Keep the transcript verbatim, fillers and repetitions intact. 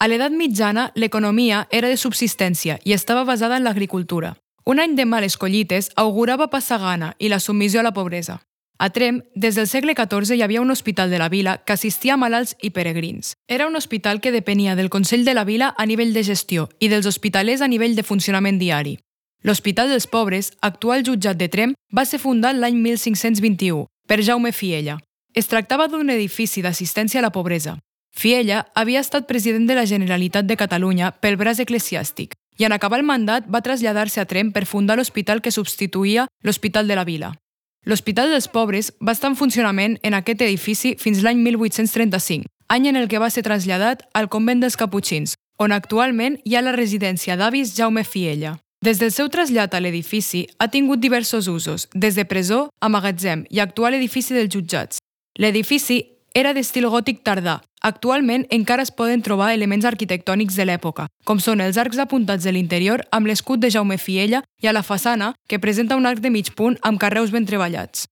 A l'edat mitjana, l'economia era de subsistència i estava basada en l'agricultura. Un any de males collites augurava passar gana i la submissió a la pobresa. A Tremp, des del segle catorze hi havia un hospital de la vila que assistia a malalts i peregrins. Era un hospital que depenia del Consell de la Vila a nivell de gestió i dels hospitalers a nivell de funcionament diari. L'Hospital dels Pobres, actual jutjat de Tremp, va ser fundat l'any mil cinc-cents vint-i-u per Jaume Fiella. Es tractava d'un edifici d'assistència a la pobresa. Fiella havia estat president de la Generalitat de Catalunya pel braç eclesiàstic i en acabar el mandat va traslladar-se a Tremp per fundar l'hospital que substituïa l'Hospital de la Vila. L'Hospital dels Pobres va estar en funcionament en aquest edifici fins l'any mil vuit-cents trenta-cinc, any en el que va ser traslladat al convent dels Caputxins, on actualment hi ha la residència d'avis Jaume Fiella. Des del seu trasllat a l'edifici ha tingut diversos usos, des de presó a magatzem i actual edifici dels jutjats. L'edifici era d'estil gòtic tardà. Actualment encara es poden trobar elements arquitectònics de l'època, com són els arcs apuntats de l'interior amb l'escut de Jaume Fiella i a la façana, que presenta un arc de mig punt amb carreus ben treballats.